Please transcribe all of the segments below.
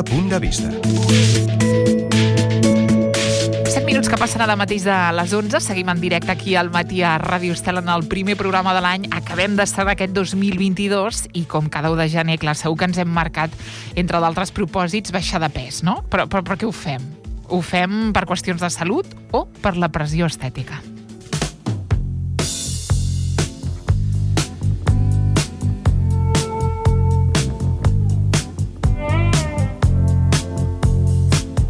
punt de vista. 7 minuts que passen ara mateix de les 11. Seguim en directe aquí al matí a Ràdio Estel en el primer programa de l'any. Acabem d'estar aquest 2022 i com cada 1 de gener, clar, segur que ens hem marcat, entre d'altres propòsits, baixar de pes, no? Però què ho fem? Ho fem per qüestions de salut o per la pressió estètica?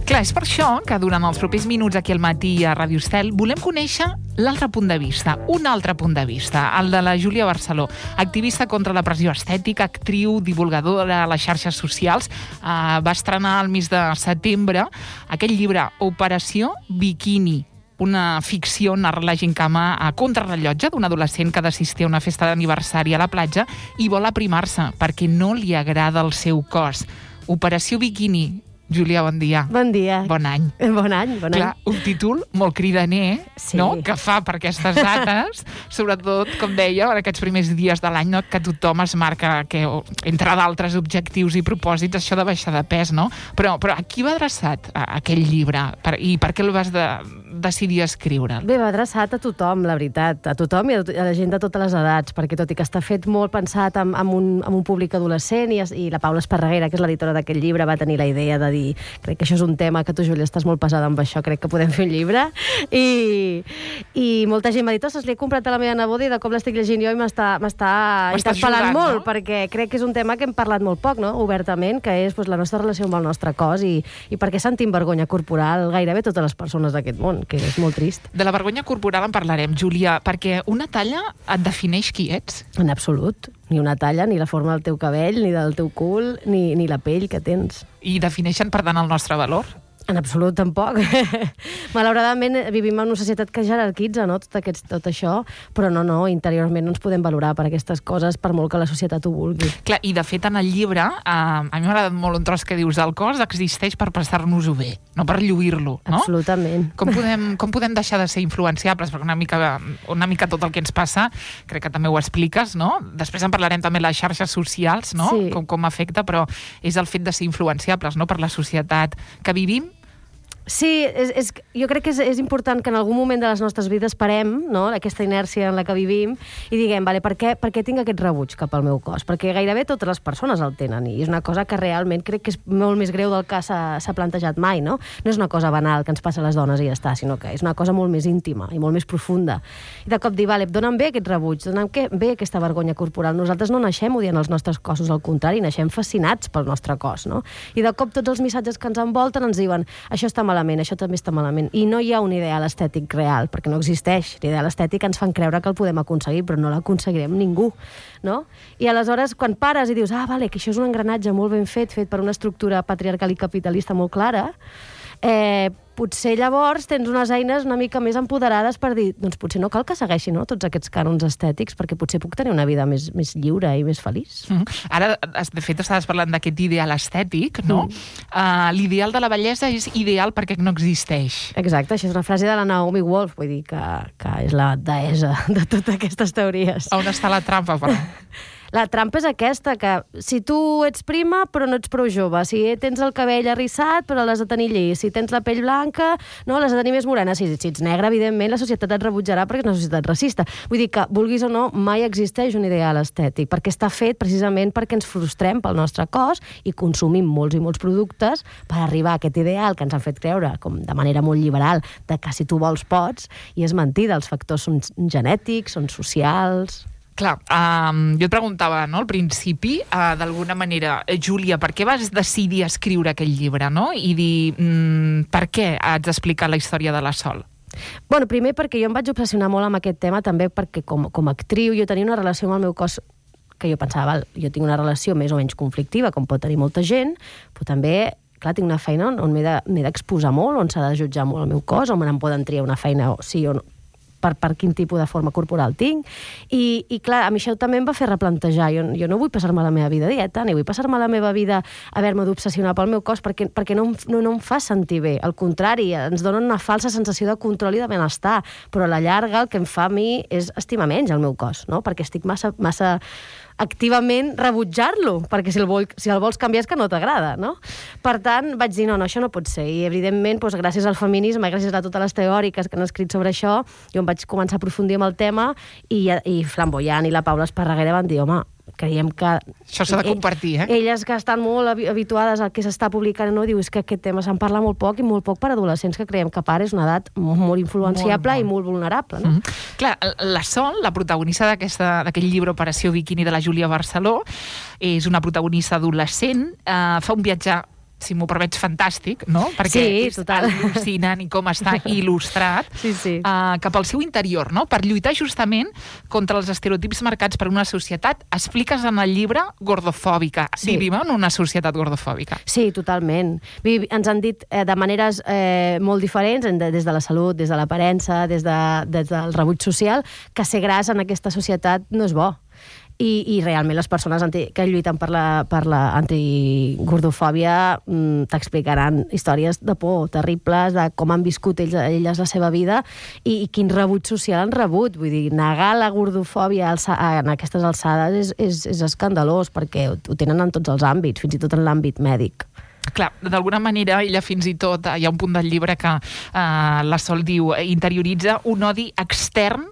Clar, és per això que durant els propers minuts aquí al matí a Ràdio Estel volem conèixer l'altre punt de vista, un altre punt de vista, el de la Júlia Barceló, activista contra la pressió estètica, actriu, divulgadora a les xarxes socials. Va estrenar el mes de setembre aquest llibre, Operació Biquini, una ficció narra la gincama a contrarrellotge d'un adolescent que ha d'assistir a una festa d'aniversari a la platja i vol aprimar-se perquè no li agrada el seu cos. Operació Biquini. Júlia, bon dia. Bon dia. Bon any. Bon any, bon any. Clar, un títol molt cridaner, sí, no?, que fa per aquestes dates, sobretot, com deia, en aquests primers dies de l'any, no?, que tothom es marca, que, entre d'altres objectius i propòsits, això de baixar de pes, no? Però a qui va adreçat aquell llibre? I per què el vas decidir escriure? Bé, va adreçat a tothom, la veritat, a tothom i a la gent de totes les edats, perquè tot i que està fet molt pensat en un públic adolescent, i la Paula Esparreguera, que és l'editora d'aquest llibre, va tenir la idea de dir, crec que això és un tema que tu, Júlia, estàs molt pesada amb això, crec que podem fer un llibre, i molta gent m'ha dit, ostres, l'he comprat a la meva neboda i de cop l'estic llegint jo i m'està interpel·lant molt, no? Perquè crec que és un tema que hem parlat molt poc, no?, obertament, que és la nostra relació amb el nostre cos i per què sentim vergonya corporal gairebé totes les persones d'aquest món, que és molt trist. De la vergonya corporal en parlarem, Júlia, perquè una talla et defineix qui ets? En absolut. Ni una talla, ni la forma del teu cabell, ni del teu cul, ni la pell que tens. I defineixen, per tant, el nostre valor? En absolut, tampoc. Malauradament, vivim en una societat que jerarquitza, no?, tot això, però no, interiorment no ens podem valorar per aquestes coses, per molt que la societat ho vulgui. Clar, i de fet, en el llibre, a mi m'ha agradat molt un tros que dius, el cos existeix per passar-nos-ho bé, no per lluir-lo, no? Absolutament. Com podem deixar de ser influenciables? Perquè una mica tot el que ens passa, crec que també ho expliques, no? Després en parlarem també de les xarxes socials, no? Sí. Com afecta, però és el fet de ser influenciables, no?, per la societat que vivim. Sí, jo crec que és important que en algun moment de les nostres vides parem, no?, aquesta inèrcia en la que vivim, i diguem, vale, per què tinc aquest rebuig cap al meu cos? Perquè gairebé totes les persones el tenen, i és una cosa que realment crec que és molt més greu del que s'ha plantejat mai, no? No és una cosa banal que ens passa a les dones i ja està, sinó que és una cosa molt més íntima i molt més profunda. I de cop dir, vale, donen bé aquest rebuig, donen bé aquesta vergonya corporal. Nosaltres no naixem odiant els nostres cossos, al contrari, naixem fascinats pel nostre cos, no? I de cop tots els missatges que ens envolten ens diuen, això està malament, això també està malament. I no hi ha un ideal estètic real, perquè no existeix. L'ideal estètic ens fan creure que el podem aconseguir, però no l'aconseguirem ningú, no? I aleshores, quan pares i dius, vale, que això és un engranatge molt ben fet per una estructura patriarcal i capitalista molt clara, potser llavors tens unes eines una mica més empoderades per dir, doncs potser no cal que segueixi, no?, tots aquests cànons estètics, perquè potser puc tenir una vida més lliure i més feliç. Ara, de fet, estaves parlant d'aquest ideal estètic, no? L'ideal de la bellesa és ideal perquè no existeix. Exacte, això és una frase de la Naomi Wolf, vull dir que és la deessa de totes aquestes teories. On està la trampa, però? La trampa és aquesta, que si tu ets prima però no ets prou jove, si tens el cabell arrissat però l'has de tenir llis, si tens la pell blanca, no, l'has de tenir més morena, si ets negre, evidentment, la societat et rebutjarà perquè és una societat racista. Vull dir que, vulguis o no, mai existeix un ideal estètic, perquè està fet precisament perquè ens frustrem pel nostre cos i consumim molts i molts productes per arribar a aquest ideal que ens han fet creure, com de manera molt liberal, de que si tu vols pots, i és mentida, els factors són genètics, són socials... Clar, jo et preguntava, no, al principi, d'alguna manera, Júlia, per què vas decidir escriure aquell llibre, no? I dir, per què has d'explicar la història de la Sol? Bueno, primer perquè jo em vaig obsessionar molt amb aquest tema, també perquè com a actriu jo tenia una relació amb el meu cos que jo pensava, jo tinc una relació més o menys conflictiva, com pot tenir molta gent, però també, clar, tinc una feina on m'he d'exposar molt, on s'ha de jutjar molt el meu cos, on me'n poden triar una feina sí o no, per quin tipus de forma corporal tinc. I clar, a mi això també em va fer replantejar. Jo no vull passar-me la meva vida a dieta, ni vull passar-me la meva vida haver-me d'obsessionar pel meu cos, perquè no em fa sentir bé. Al contrari, ens dona una falsa sensació de control i de benestar, però a la llarga el que em fa a mi és estimar menys el meu cos, no? Perquè estic massa activament rebutjar-lo, perquè si el vols canviar és que no t'agrada, no? Per tant, vaig dir, no, això no pot ser. I, evidentment, doncs, gràcies al feminisme, gràcies a totes les teòriques que han escrit sobre això, jo em vaig començar a aprofundir en el tema i Flamboyant i la Paula Esparreguera van dir, home, creiem que... Això s'ha de compartir, Elles que estan molt habituades al que s'està publicant, no? Diu, és que aquest tema se'n parla molt poc i molt poc per adolescents, que creiem que a part és una edat molt influenciable i molt vulnerable, no? Clar, la Sol, la protagonista d'aquell llibre Operació Bikini de la Júlia Barceló, és una protagonista adolescent, fa un viatge, si m'ho permets, fantàstic, no? Perquè és al·lucinant i com està il·lustrat cap al seu interior, no? Per lluitar justament contra els estereotips marcats per una societat. Expliques en el llibre gordofòbica. Vivim en una societat gordofòbica. Sí, totalment. Ens han dit de maneres molt diferents, des de la salut, des de l'aparença, des del rebuig social, que ser gras en aquesta societat no és bo. I realment les persones que lluiten per la antigordofòbia t'explicaran històries de por terribles, de com han viscut elles la seva vida i quin rebuig social han rebut. Vull dir, negar la gordofòbia en aquestes alçades és escandalós, perquè ho tenen en tots els àmbits, fins i tot en l'àmbit mèdic. Clar, d'alguna manera, ella fins i tot, hi ha un punt del llibre que la Sol diu, interioritza un odi extern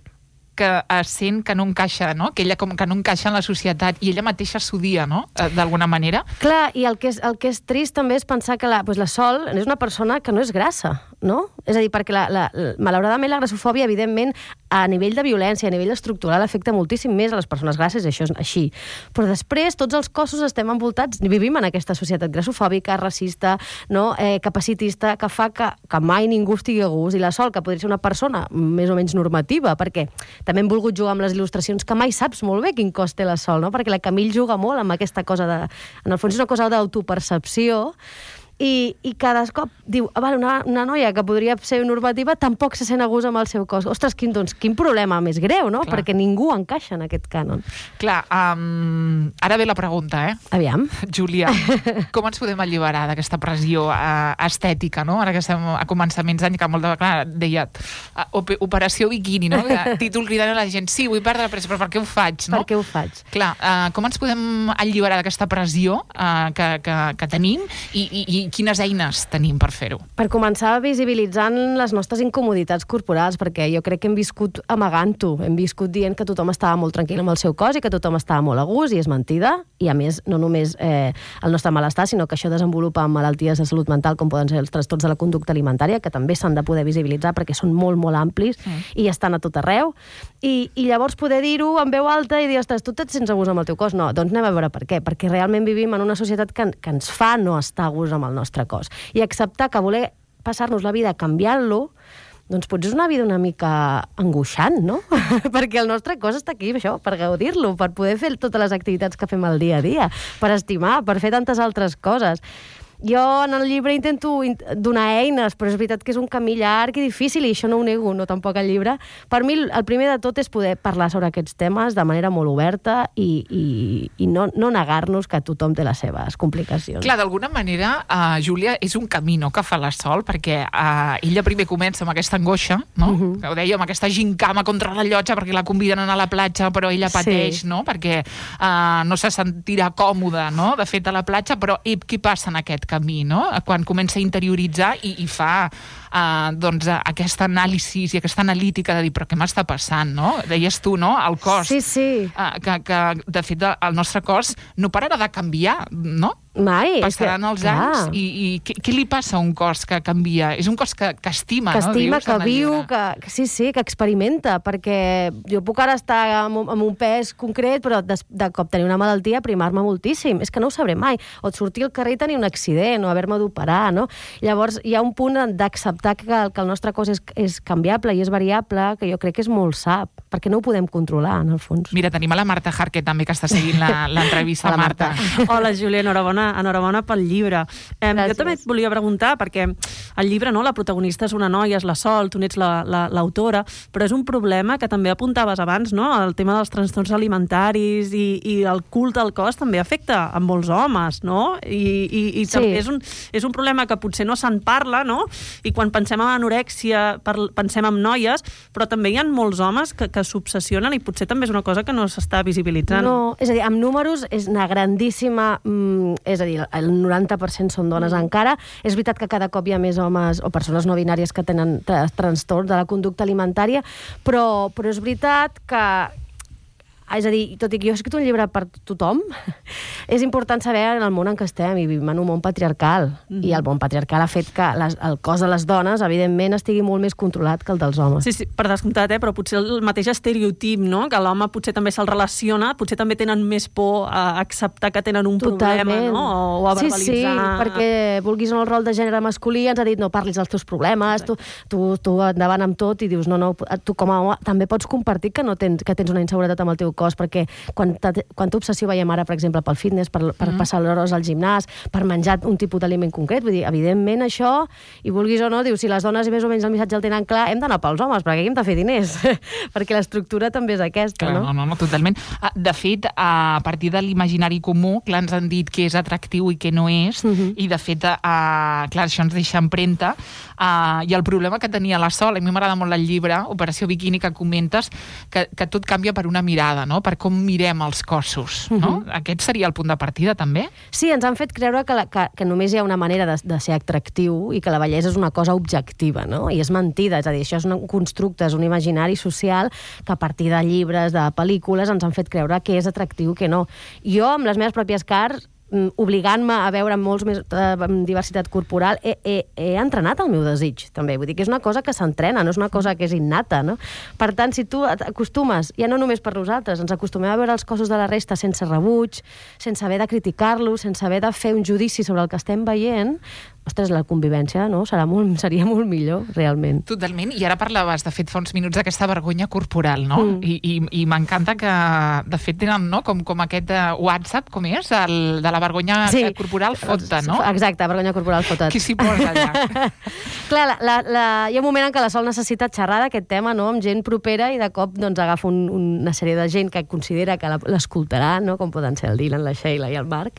que sent que no encaixa, no? Que ella com que no encaixa en la societat i ella mateixa s'odia, no? D'alguna manera. Clar, i el que és trist també és pensar que la Sol és una persona que no és grassa, no? És a dir, perquè malauradament la grassofòbia, evidentment, a nivell de violència, a nivell estructural, afecta moltíssim més a les persones grasses, i això és així. Però després, tots els cossos estem envoltats, vivim en aquesta societat grassofòbica, racista, no? Capacitista, que fa que mai ningú estigui a gust, i la Sol, que podria ser una persona més o menys normativa, perquè també hem volgut jugar amb les il·lustracions, que mai saps molt bé quin cos té la Sol, no? Perquè la Camille juga molt amb aquesta cosa en el fons és una cosa d'autopercepció, i cada cop diu, una noia que podria ser normativa tampoc se sent a gust amb el seu cos. Ostres, quin problema més greu, no? Clar. Perquè ningú encaixa en aquest cànon. Clar, ara ve la pregunta, Aviam. Júlia, com ens podem alliberar d'aquesta pressió estètica, no? Ara que estem a començaments d'any, que molt de... Clar, deia, Operació Bikini, no? Títol cridant a la gent, sí, vull perdre pressa, però per què ho faig, no? Per què ho faig? Clar, com ens podem alliberar d'aquesta pressió que tenim i quines eines tenim per fer-ho? Per començar visibilitzant les nostres incomoditats corporals, perquè jo crec que hem viscut amagant-ho, hem viscut dient que tothom estava molt tranquil amb el seu cos i que tothom estava molt a gust, i és mentida, i a més no només el nostre malestar, sinó que això desenvolupa malalties de salut mental com poden ser els trastorns de la conducta alimentària, que també s'han de poder visibilitzar perquè són molt, molt amplis i estan a tot arreu, i llavors poder dir-ho en veu alta i dir, ostres, tu et sents a gust amb el teu cos? No, doncs anem a veure per què, perquè realment vivim en una societat que ens fa no estar a gust amb el nostre cos. I acceptar que voler passar-nos la vida canviant-lo, doncs potser és una vida una mica angoixant, no? Perquè el nostre cos està aquí, això, per gaudir-lo, per poder fer totes les activitats que fem al dia a dia, per estimar, per fer tantes altres coses. Jo en el llibre intento donar eines, però és veritat que és un camí llarg i difícil, i això no ho nego, no tampoc el llibre. Per mi el primer de tot és poder parlar sobre aquests temes de manera molt oberta i no negar-nos que tothom té les seves complicacions. Clar, d'alguna manera, Júlia, és un camí, no?, que fa la Sol, perquè ella primer comença amb aquesta angoixa, no? Que ho deia, amb aquesta gincama contra la llotja perquè la conviden a anar a la platja, però ella pateix, no?, perquè no se sentirà còmoda, no?, de fet, a la platja, però què passa en aquest camí, no? Quan comença a interioritzar i fa doncs aquesta anàlisi i aquesta analítica de dir, però què m'està passant, no? Deies tu, no? El cos. Sí. Que de fet el nostre cos no pararà de canviar, no? Mai. Passaran els anys i què li passa a un cos que canvia? És un cos que estima, no? Que estima, que viu, que experimenta, perquè jo puc ara estar amb un pes concret, però de cop tenir una malaltia, aprimar-me moltíssim. És que no ho sabré mai. O sortir al carrer i tenir un accident, o haver-me d'operar, no? Llavors hi ha un punt d'acceptar que el nostre cos és canviable i és variable, que jo crec que és molt sa, perquè no ho podem controlar, en el fons. Mira, tenim a la Marta Jarque també, que està seguint l'entrevista. Marta. Hola, Júlia, enhorabona enhorabona pel llibre. Jo també et volia preguntar, perquè el llibre, no, la protagonista és una noia, és la Sol, tu n'ets l'autora, però és un problema que també apuntaves abans, no? El tema dels trastorns alimentaris i el culte al cos també afecta a molts homes, no? I també és un problema que potser no se'n parla, no? I quan pensem en anorèxia pensem en noies, però també hi ha molts homes que s'obsessionen i potser també és una cosa que no s'està visibilitzant. No, és a dir, amb números és una grandíssima... és a dir, el 90% són dones encara. És veritat que cada cop hi ha més homes o persones no binàries que tenen trastorn de la conducta alimentària, però és veritat que... És a dir, tot i que jo he escrit un llibre per tothom, és important saber en el món en què estem, i vivim en un món patriarcal. I el món patriarcal ha fet que el cos de les dones, evidentment, estigui molt més controlat que el dels homes. Sí, per descomptat, però potser el mateix estereotip, no? Que l'home potser també se'l relaciona, potser també tenen més por a acceptar que tenen un problema, no? O a verbalitzar... Sí, perquè vulguis en el rol de gènere masculí, ens ha dit no parlis dels teus problemes, tu endavant amb tot, i dius no, tu com a home també pots compartir que tens una inseguretat amb el teu cos, perquè quanta obsessió veiem ara, per exemple, pel fitness, per passar l'hores al gimnàs, per menjar un tipus d'aliment concret. Vull dir, evidentment, això, i vulguis o no, dius, si les dones més o menys el missatge el tenen clar, hem d'anar pels homes, perquè aquí hem de fer diners, perquè l'estructura també és aquesta, no? No, totalment. De fet, a partir de l'imaginari comú, clar, ens han dit què és atractiu i què no és, i de fet, clar, això ens deixa empremta, i el problema que tenia la Sol, a mi m'agrada molt el llibre, Operació Biquini, que comentes, que tot canvia per una mirada, no? Per com mirem els cossos, no? Aquest seria el punt de partida, també? Sí, ens han fet creure que només hi ha una manera de ser atractiu i que la bellesa és una cosa objectiva, no? I és mentida, és a dir, això és un constructe, és un imaginari social que a partir de llibres, de pel·lícules, ens han fet creure que és atractiu, que no. Jo, amb les meves pròpies carns, obligant-me a veure molts més diversitat corporal, he entrenat el meu desig, també. Vull dir que és una cosa que s'entrena, no és una cosa que és innata, no? Per tant, si tu et acostumes, ja no només per nosaltres, ens acostumem a veure els cossos de la resta sense rebuig, sense haver de criticar-los, sense haver de fer un judici sobre el que estem veient, ostres, la convivència, no? Seria molt millor, realment. Totalment. I ara parlaves, de fet, fa uns minuts d'aquesta vergonya corporal, no? I m'encanta que, de fet, tenen, no?, com aquest WhatsApp, com és? De la vergonya corporal fota, no? Exacte, vergonya corporal fota. Qui s'hi posa allà? Clar, hi ha un moment en què la Sol necessita xerrar d'aquest tema, no?, amb gent propera, i de cop doncs, agafa una sèrie de gent que considera que l'escoltarà, no?, com poden ser el Dylan, la Sheila i el Marc.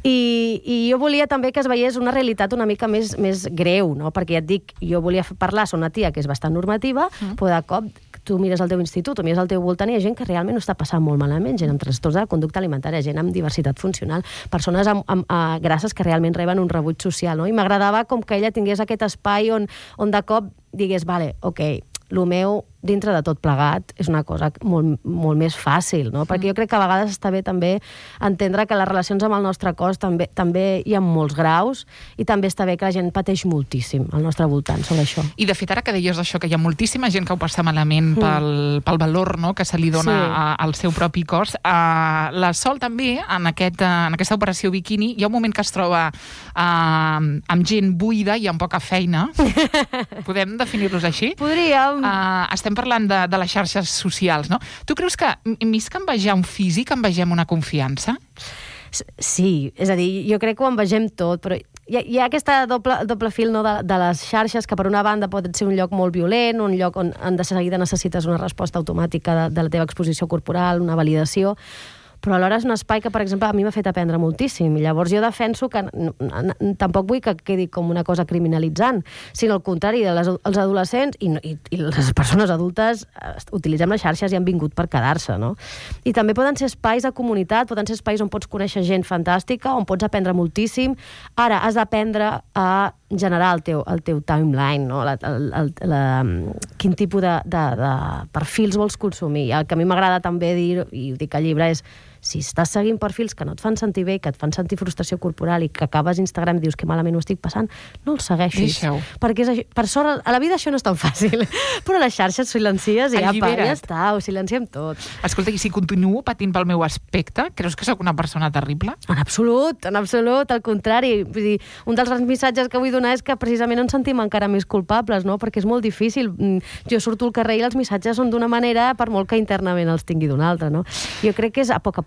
I jo volia també que es veiés una realitat una mica més greu, no? Perquè ja et dic, jo volia parlar, soc una tia que és bastant normativa, però de cop tu mires al teu institut o mires al teu voltant i hi ha gent que realment ho està passant molt malament, gent amb trastorns de la conducta alimentària, gent amb diversitat funcional, persones amb grasses que realment reben un rebuig social, no? I m'agradava com que ella tingués aquest espai on de cop digués, vale, ok, el meu, dintre de tot plegat, és una cosa molt, molt més fàcil, no? Perquè jo crec que a vegades està bé també entendre que les relacions amb el nostre cos també hi ha molts graus, i també està bé que la gent pateix moltíssim al nostre voltant sobre això. I de fet, ara que deies això, que hi ha moltíssima gent que ho passa malament pel valor, no?, que se li dona al seu propi cos, la Sol també, en aquesta operació biquini, hi ha un moment que es troba amb gent buida i amb poca feina. Podem definir-los així? Podríem. Estem parlant de les xarxes socials, no? Tu creus que, més que envejar un físic, envegem una confiança? Sí, és a dir, jo crec que ho envegem tot, però hi ha aquesta doble fil, no, de les xarxes, que per una banda pot ser un lloc molt violent, un lloc on de seguida necessites una resposta automàtica de la teva exposició corporal, una validació, però alhora és un espai que, per exemple, a mi m'ha fet aprendre moltíssim. I llavors jo defenso que tampoc vull que quedi com una cosa criminalitzant, sinó al contrari, els adolescents i les persones adultes utilitzem les xarxes i han vingut per quedar-se, no? I també poden ser espais de comunitat, poden ser espais on pots conèixer gent fantàstica, on pots aprendre moltíssim. Ara, has d'aprendre a generar el teu timeline, no? Quin tipus de perfils vols consumir. El que a mi m'agrada també dir, i ho dic al llibre, és si estàs seguint perfils que no et fan sentir bé, que et fan sentir frustració corporal i que acabes a Instagram i dius que malament ho estic passant, no els segueixis. Deixa-ho. Perquè per sort, a la vida això no és tan fàcil, però a les xarxes silencies i ja està, ho silenciem tot. Escolta, i si continuo patint pel meu aspecte, creus que sóc una persona terrible? En absolut, al contrari. Vull dir, un dels grans missatges que vull donar és que precisament ens sentim encara més culpables, no? Perquè és molt difícil. Jo surto al carrer i els missatges són d'una manera, per molt que internament els tingui d'una altra, no? Jo crec que és a poc,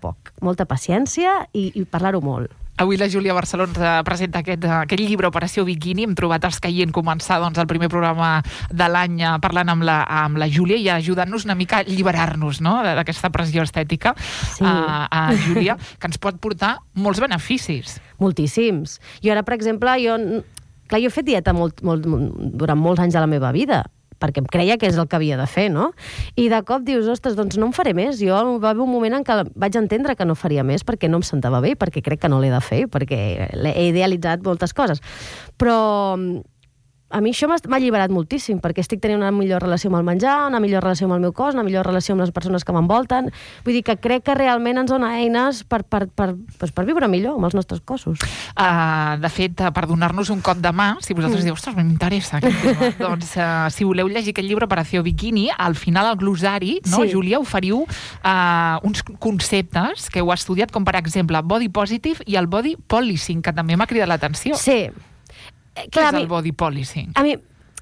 molta paciència i parlar-ho molt. Avui la Júlia Barceló ens presenta aquest llibre, Operació Bikini. Hem trobat els que hi han començat el primer programa de l'any parlant amb la Júlia i ajudant-nos una mica a alliberar-nos, no?, d'aquesta pressió estètica, a Júlia, que ens pot portar molts beneficis. Moltíssims. I ara, per exemple, jo he fet dieta durant molts anys de la meva vida, perquè em creia que és el que havia de fer, no? I de cop dius, ostres, doncs no en faré més. Jo va haver un moment en què vaig entendre que no faria més perquè no em sentava bé, perquè crec que no l'he de fer, perquè he idealitzat moltes coses. Però a mi això m'ha alliberat moltíssim, perquè estic tenint una millor relació amb el menjar, una millor relació amb el meu cos, una millor relació amb les persones que m'envolten. Vull dir que crec que realment ens dona eines per viure millor amb els nostres cossos. De fet, per donar-nos un cop de mà, si vosaltres dieu, ostres, m'interessa aquest tema, doncs si voleu llegir aquest llibre, Operació Bikini, al final al glosari, no, Júlia, oferiu uns conceptes que heu estudiat, com per exemple body positive i el body policing, que també m'ha cridat l'atenció. Sí. Què és el body policing? A mi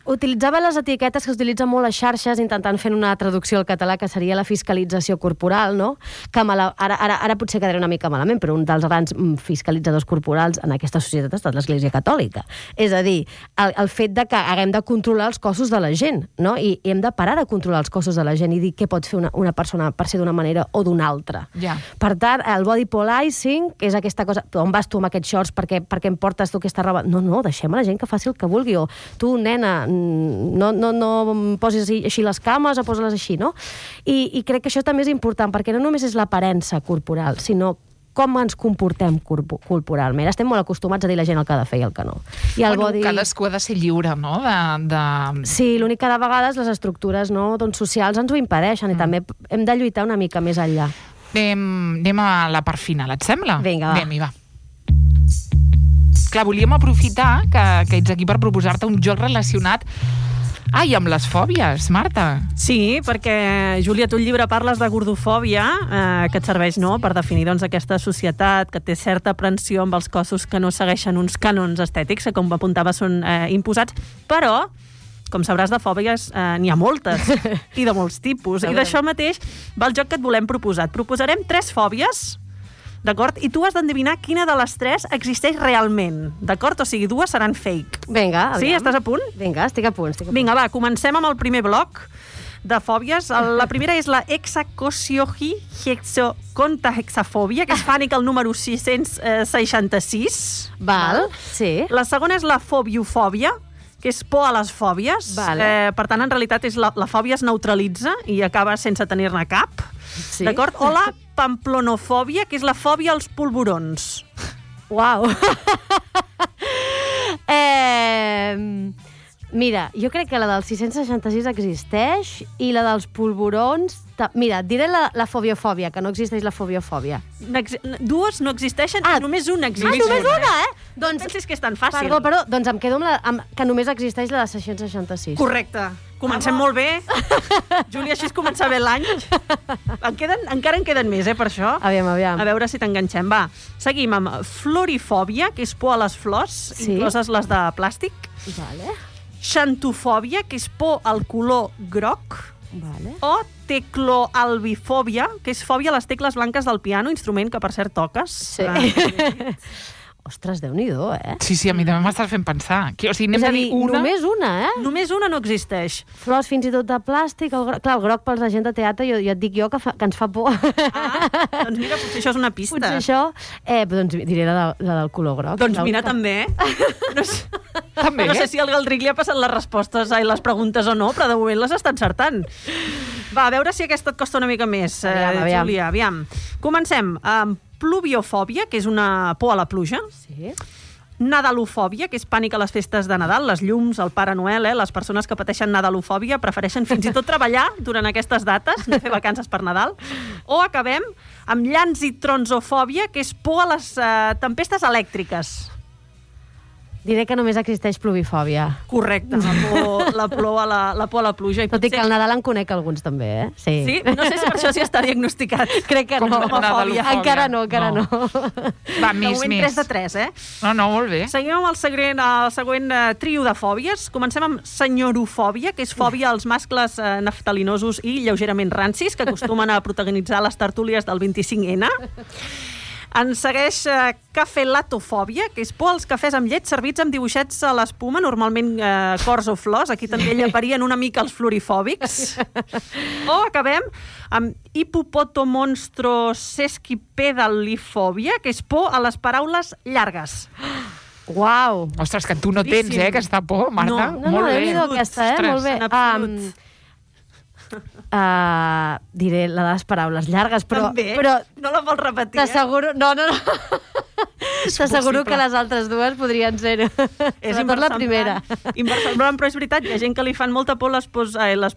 utilitzava les etiquetes que s'utilitzen molt a xarxes, intentant fer una traducció al català, que seria la fiscalització corporal, no? Que ara potser quedaré una mica malament, però un dels grans fiscalitzadors corporals en aquesta societat ha estat l'Església Catòlica. És a dir, el fet de que haguem de controlar els cossos de la gent, no? I hem de parar de controlar els cossos de la gent i dir què pot fer una persona per ser d'una manera o d'una altra. Ja. Per tant, el body policing, que és aquesta cosa, on vas tu amb aquests shorts, per què em portes tu aquesta roba? No, deixem a la gent que faci el que vulgui, o tu, nena, no posis així les cames o posa-les així, no? I crec que això també és important, perquè no només és l'aparença corporal, sinó com ens comportem corporalment. Estem molt acostumats a dir a la gent el que ha de fer i el que no. I el body... Cadascú ha de ser lliure, no? Sí, l'únic que de vegades les estructures socials ens ho impedeixen i també hem de lluitar una mica més enllà. Anem a la part final, et sembla? Vinga, va. Anem-hi, va. Clar, volíem aprofitar que ets aquí per proposar-te un joc relacionat amb les fòbies, Marta. Sí, perquè, Júlia, tu al llibre parles de gordofòbia, que et serveix per definir aquesta societat que té certa aprensió amb els cossos que no segueixen uns cànons estètics, que, com apuntava, són imposats, però com sabràs, de fòbies n'hi ha moltes, i de molts tipus. I d'això mateix va el joc que et volem proposar. Et proposarem 3 fòbies, d'acord? I tu has d'endevinar quina de les 3 existeix realment, d'acord? O sigui, 2 seran fake. Vinga, aviam. Sí, estàs a punt? Vinga, estic a punt. Vinga, va, comencem amb el primer bloc de fòbies. La primera és la hexacosiohexacontaxafòbia, que és pànic el número 666. Val, sí. La segona és la fobiofòbia, que és por a les fòbies. Per tant, en realitat, la fòbia es neutralitza i acaba sense tenir-ne cap. Sí. D'acord? O la pamplonofòbia, que és la fòbia als polvorons. Uau! Mira, jo crec que la del 666 existeix i la dels polvorons... Mira, et diré la fobiofòbia, que no existeix la fobiofòbia. 2 no existeixen, només una existeix. Només una, Doncs pensis que és tan fàcil. Perdó, doncs em quedo amb que només existeix la de 666. Correcte. Comencem molt bé. Júlia, així és començar bé l'any. Encara en queden més, per això. Aviam. A veure si t'enganxem. Va, seguim amb florifòbia, que és por a les flors, incloses les de plàstic. Vale. Xantofòbia, que és por al color groc. Vale. O tecloalbifòbia, que és fòbia a les tecles blanques del piano, instrument que, per cert, toques. Sí. Ostres, Déu-n'hi-do, Sí, a mi també m'estàs fent pensar. O sigui, anem a dir una... Només una, Només una no existeix. Flors fins i tot de plàstic. Clar, el groc pels la gent de teatre, jo et dic que ens fa por. Doncs mira, potser això és una pista. Potser això... doncs diré la del color groc. Doncs mira, també. També? No sé si al Galdric li ha passat les respostes i les preguntes o no, però de moment les està encertant. Va, a veure si aquesta et costa una mica més, Júlia. Aviam. Comencem amb pluviofòbia, que és una por a la pluja. Sí. Nadalofòbia, que és pànic a les festes de Nadal, les llums, el Pare Noel, les persones que pateixen nadalofòbia prefereixen fins i tot treballar durant aquestes dates, no fer vacances per Nadal. O acabem amb llanzitronsofòbia, que és por a les tempestes elèctriques. Diré que només existeix pluvifòbia. Correcte, la por a la pluja. Tot i que al Nadal en conec alguns també, Sí? No sé si per això sí està diagnosticat. Crec que no. Encara no. Va, més. 3 de 3, No, molt bé. Seguim amb el següent trio de fòbies. Comencem amb senyorofòbia, que és fòbia als mascles naftalinosos i lleugerament rancis, que acostumen a protagonitzar les tertúlies del 25N. Ens segueix cafelatofòbia, que és por als cafès amb llet servits amb dibuixets a l'espuma, normalment cors o flors. Aquí també llaparien una mica els florifòbics. O acabem amb hipopotomonstrosesquipedalifòbia, que és por a les paraules llargues. Uau! Ostres, que tu no tens, aquesta por, Marta. No, déu-n'hi-do aquesta, molt bé. Diré la de les paraules llargues, però... També? Però no la vols repetir, t'asseguro... No. T'asseguro que les altres dues podrien ser... Sobretot la primera. Inversemblant, però és veritat, hi ha gent que li fan molta por les paraules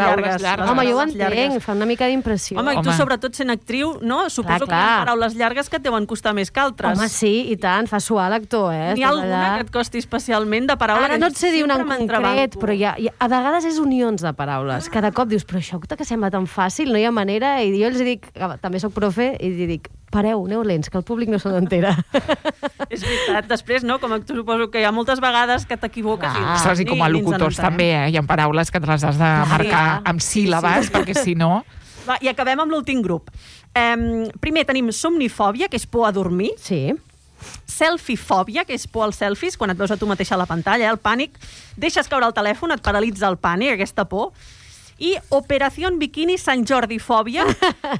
llargues. Home, jo ho entenc, fa una mica d'impressió. Home, i tu sobretot sent actriu, no? Suposo que hi ha paraules llargues que et deuen costar més que altres. Home, sí, i tant, fa suar l'actor, N'hi ha alguna que et costi especialment de paraules? Ara no et sé dir una en concret, però a vegades és unions de paraules. Cada cop dius, però això que sembla tan fàcil, no hi ha manera, i jo els dic, també soc profe, i dic, pareu, aneu lents, que el públic no se n'entera. És veritat. Després, no? Com tu suposo que hi ha moltes vegades que t'equivoques. Ostres, i com a locutors també, hi ha paraules que te les has de marcar amb síl·labes, perquè si no... Va, i acabem amb l'últim grup. Primer tenim somnifòbia, que és por a dormir. Sí. Selfiefòbia, que és por als selfies, quan et veus a tu mateixa a la pantalla, el pànic. Deixes caure el telèfon, et paralitza el pànic, aquesta por. I Operació Bikini Sant Jordi-fòbia.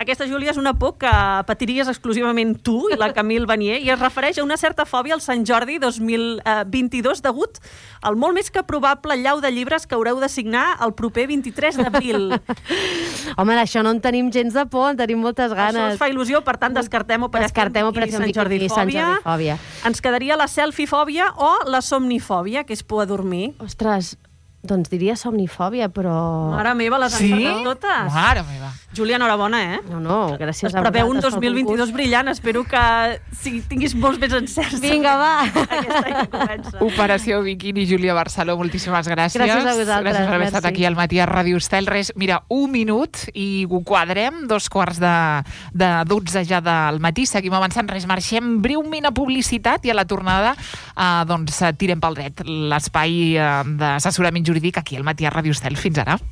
Aquesta, Júlia, és una por que patiries exclusivament tu i la Camille Vanier, i es refereix a una certa fòbia al Sant Jordi 2022 degut al molt més que probable llau de llibres que haureu de signar el proper 23 d'abril. Home, d'això no en tenim gens de por, en tenim moltes ganes. Això us fa il·lusió, per tant, descartem Operació Sant Jordi-fòbia. Ens quedaria la selfiefòbia o la somnifòbia, que és por a dormir. Ostres, doncs diria somnifòbia, però... Mare meva, les han encertat totes. Mare meva. Júlia, enhorabona, No, gràcies a vosaltres. Es preveu un 2022 brillant. Espero que tinguis molts més encerts. Vinga, va. Aquest any que comença. Operació Bikini, Júlia Barceló, moltíssimes gràcies. Gràcies a vosaltres. Gràcies per haver estat aquí al matí a Ràdio Estel. Res, mira, 1 minut i ho quadrem, 2:45 ja del matí. Seguim avançant, res, marxem breument a publicitat i a la tornada tirem pel dret l'espai d'assessorament jurídic aquí al matí a Ràdio Estel. Fins ara.